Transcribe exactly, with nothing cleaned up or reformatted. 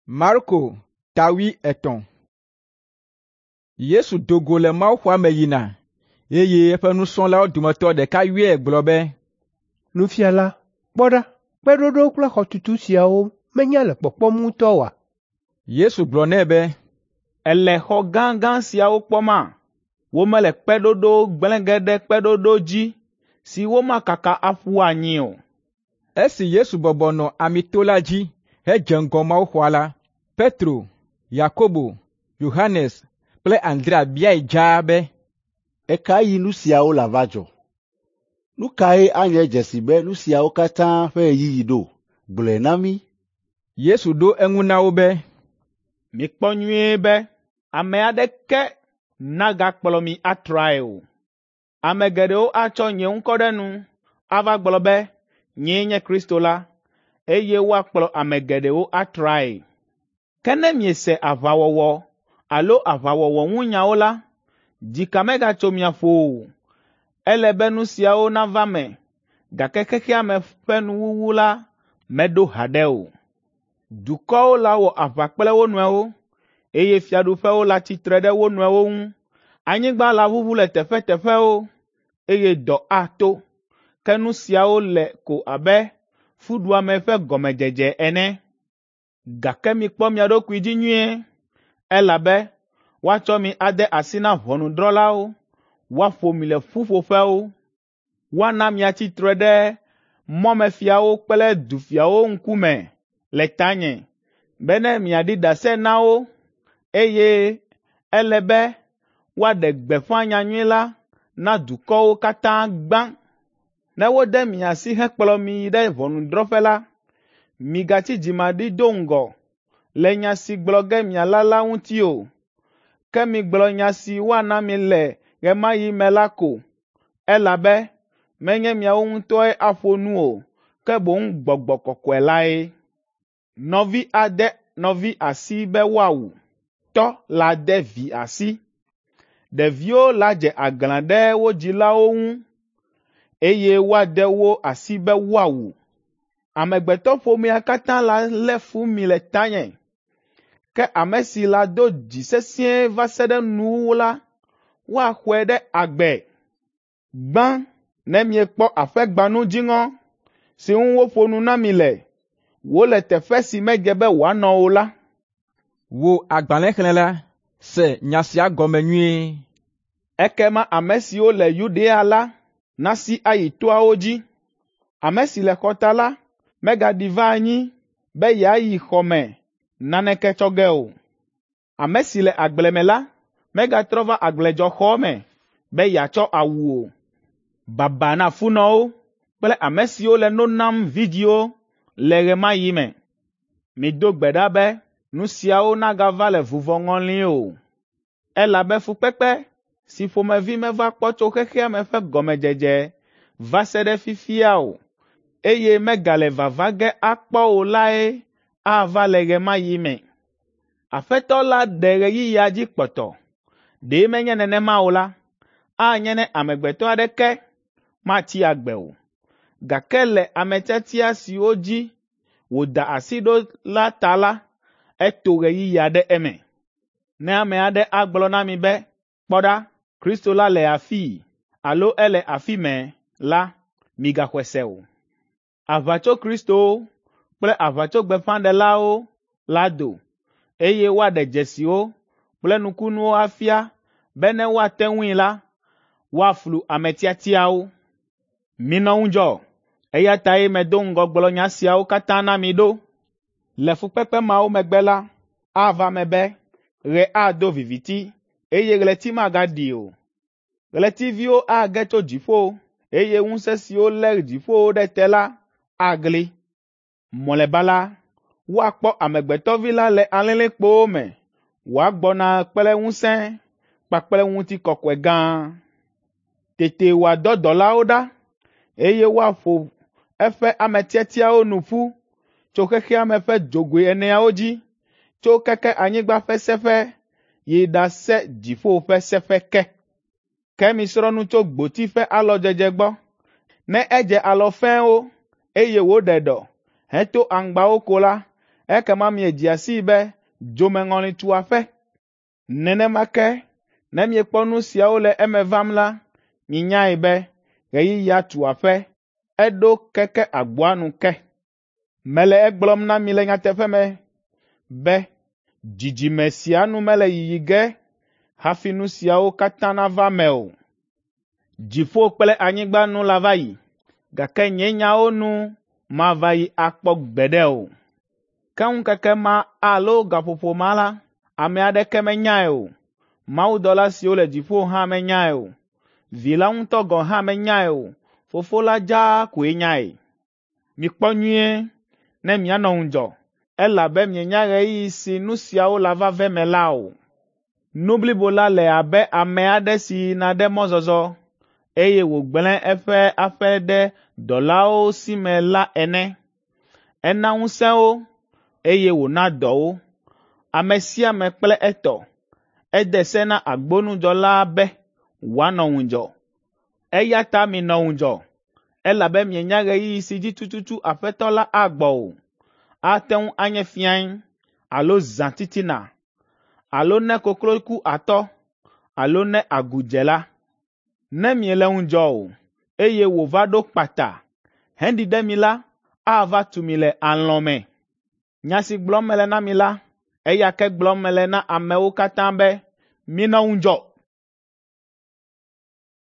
Marko ta wuietɔ̃. Yesu do go le mawuxɔa me yina, eye eƒe nusrɔ̃lawo dometɔ ɖeka yɔe gblɔ be, “Nufiala, kpɔ ɖa, kpeɖoɖo kple xɔtutu siawo menya le kpɔkpɔm ŋutɔ oa?” Yesu gblɔ nɛ be, “Èle xɔ gãgã siawo kpɔma? Womele kpeɖoɖo gblẽ ge ɖe kpeɖoɖo dzi si womakaka aƒu anyi o.” Esi Yesu bɔbɔ nɔ Amito la dzi hedze ŋgɔ mawuxɔa la, Petro, Yakobo, Yohanes kple Andrea biae dzaa be, “Ɣe ka ɣi nu siawo lava dzɔ? Nu kae anye dzesi be nu siawo katã ƒe ɣeyiɣi ɖo? Gblɔe na mí.” Yesu ɖo eŋu na wo be, “Mikpɔ nyuie be ame aɖeke nagakplɔ mi atrae o. Ame geɖewo atsɔ nye ŋkɔ ɖe nu ava gblɔ be, ‘Nyee nye Kristo la,’ eye woakplɔ ame geɖewo atrae. Ke ne miese aʋawɔwɔ alo aʋawɔwɔ ŋu nyawo la, dzika megatso mia ƒo o. Ele be nu siawo nava me, gake xexea me ƒe nuwuwu la meɖo haɖe o. Dukɔwo lawɔ aʋa kple wo nɔewo, eye fiaɖuƒewo latsi tre ɖe wo nɔewo ŋu. Anyigba laʋuʋu le teƒeteƒewo, eye dɔ ato. Ke nu siawo le ko abe fuɖuame ƒe gɔmedzedze ene. Gake mikpɔ mia ɖokui dzi nyuie, elabe woatsɔ mi ade asi na ʋɔnudrɔ̃lawo, woaƒo mi le ƒuƒoƒewo. Woana miatsi tre ɖe mɔmefiawo kple dufiawo ŋkume le tanye, bene miaɖi ɖase na wo, eye ele be woaɖe gbeƒã nyanyui la na dukɔwo katã gbã. Ne wode mi asi hekplɔ mi yi ɖe ʋɔnudrɔ̃ƒe la, migatsi dzimaɖi do ŋgɔ le nya si gblɔ ge miala la ŋuti o, ke migblɔ nya si woana mi le ɣe ma ɣi me la ko, elabe menye miawo ŋutɔe aƒo nu o, ke boŋ Gbɔgbɔ Kɔkɔe lae. Nɔvi ade nɔvi asi be woawu, tɔ lade vi asi. Ɖeviwo ladze aglã ɖe wo dzilawo ŋu, eye woade wo asi be woawu. Amegbetɔƒomea katã lalé fu mi le tanye. Ke ame si lado dzi sesĩe va se ɖe nuwuwu la, woaxɔe ɖe agbe. Gbã, ne miekpɔ aƒegbãnu dziŋɔ si ŋu woƒo nu na mi le, wòle teƒe si medze be wòanɔ o la, “Wò agbalẽxlẽla, se nya sia gɔme nyuie. Ekema ame siwo le Yudea la nasi ayi toawo dzi. Ame si le xɔta la megaɖi va anyi be yeayi xɔ me naneke tsɔ ge o. Ame si le agble me la megatrɔ va agbledzɔxɔ me be yeatsɔ awu o. Baba na funɔwo kple ame siwo le no nam vidzĩwo le ɣe ma ɣi me. Mido gbe ɖa be nu siawo nagava le vuvɔŋɔli o, elabe fukpekpe si ƒomevi meva kpɔ tso xexea me ƒe gɔmedzedze va se ɖe fifia o, eye megale vava ge akpɔ o lae ava le ɣe ma ɣi me. Aƒetɔ la ɖe ɣeyiɣia dzi kpɔtɔ. Ɖe menye nenema o la, anye ne amegbetɔ aɖeke matsi agbe o. Gake le ame tiatia siwo dzi wòda asi ɖo la ta la, eto ɣeyiɣia ɖe eme. Ne ame aɖe agblɔ na mi be, ‘Kpɔ ɖa, Kristo la le afii alo ele afi mɛ’ la, migaxɔe se o. Aʋatsokristowo kple aʋatsogbeƒãɖelawo la do, eye woaɖe dzesiwo kple nukunuwo afia be ne woate ŋui la, woaflu ame tiatiawo. Minɔ ŋudzɔ, eya tae medo ŋgɔ gblɔ nya siawo katã na mi ɖo. Le fukpekpe mawo megbe la, ava eme be ɣe ado viviti, eye ɣleti magaɖi o. Ɣletiviwo age tso dziƒo, eye ŋusẽ siwo lé dziƒowo ɖe te la agli. Mlɔeba la, woakpɔ Amegbetɔvi la le alilikpowo me wòagbɔna kple ŋusẽ kpakple ŋutikɔkɔe gã. Tete wòadɔ dɔlawo ɖa, eye woaƒo eƒe ame tiatiawo nu ƒu tso xexea me ƒe dzogoe eneawo dzi, tso keke anyigba ƒe seƒe yi ɖase dziƒo ƒe seƒe ke. Ke misrɔ̃ nu tso gboti ƒe alɔdzedze gbɔ. Ne edze alɔ fɛ̃wo, eye wòɖe ɖɔ, heto aŋgbawo ko la, ekema miedzea sii be dzomeŋɔli tu aƒe. Nenema ke ne miekpɔ nu siawo le eme vam la, minyae be ɣeyiɣia tu aƒe, eɖo keke agboa nu ke. Mele egblɔm na mi le nyateƒe me be dzidzime sia nu mele yiyi ge hafi nu siawo katã nava eme o. Dziƒo kple anyigba nu lava yi, gake nye nyawo nu mava yi akpɔ gbeɖe o. Ke ŋkeke ma alo gaƒoƒo ma la, ame aɖeke menyae o. Mawudɔla siwo le dziƒo hã menyae o. Vi la ŋutɔ gɔ̃ hã menyae o. Fofo la dzaa koe nyae. Mikpɔ nyuie ne mianɔ ŋudzɔ, elabe mienya ɣeyiɣi si nu siawo lava va eme la o. Nu blibo la le abe ame aɖe si yina ɖe mɔzɔzɔ, eye wògblẽ eƒe aƒe ɖe dɔlawo si me la ene. Ena ŋusẽ wo, eye wòna dɔ wo, ame sia ame kple etɔ. Ede se na agbonudzɔla be wòanɔ ŋudzɔ. Eya ta minɔ ŋudzɔ, elabe mienya ɣeyiɣi si dzi tututu Aƒetɔ la agbɔ o. Ate ŋu anye fiẽ alo zã titina, alo ne koklo ku atɔ, alo ne agu dze la. Ne miele ŋudzɔ o, eye wòva ɖo kpata heɖi ɖe mi la, ava tu mi le alɔ̃ me. Nya si gblɔm mele na mi la, eya ke gblɔm mele na amewo katã be, minɔ ŋudzɔ.